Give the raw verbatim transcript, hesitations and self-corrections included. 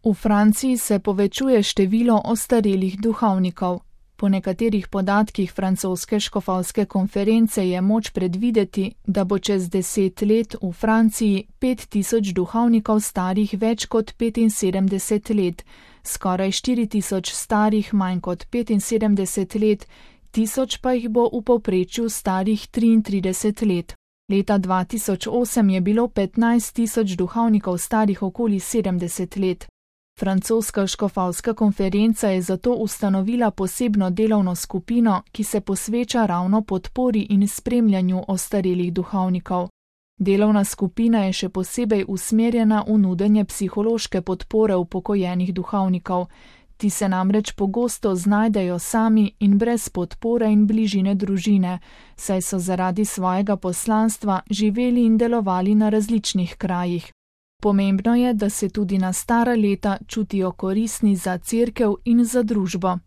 V Franciji se povečuje število ostarelih duhovnikov. Po nekaterih podatkih francoske škofovske konference je moč predvideti, da bo čez deset let v Franciji pet tisoč duhovnikov starih več kot petinsedemdeset let, skoraj štiri tisoč starih manj kot petinsedemdeset let, tisoč pa jih bo v povprečju starih triintrideset let. Leta dva tisoč osem je bilo petnajst tisoč duhovnikov starih okoli sedemdeset let. Francoska škofovska konferenca je zato ustanovila posebno delovno skupino, ki se posveča ravno podpori in spremljanju ostarelih duhovnikov. Delovna skupina je še posebej usmerjena v nudenje psihološke podpore upokojenih duhovnikov. Ti se namreč pogosto znajdejo sami in brez podpore in bližine družine, saj so zaradi svojega poslanstva živeli in delovali na različnih krajih. Pomembno je, da se tudi na stara leta čutijo koristni za cerkev in za družbo.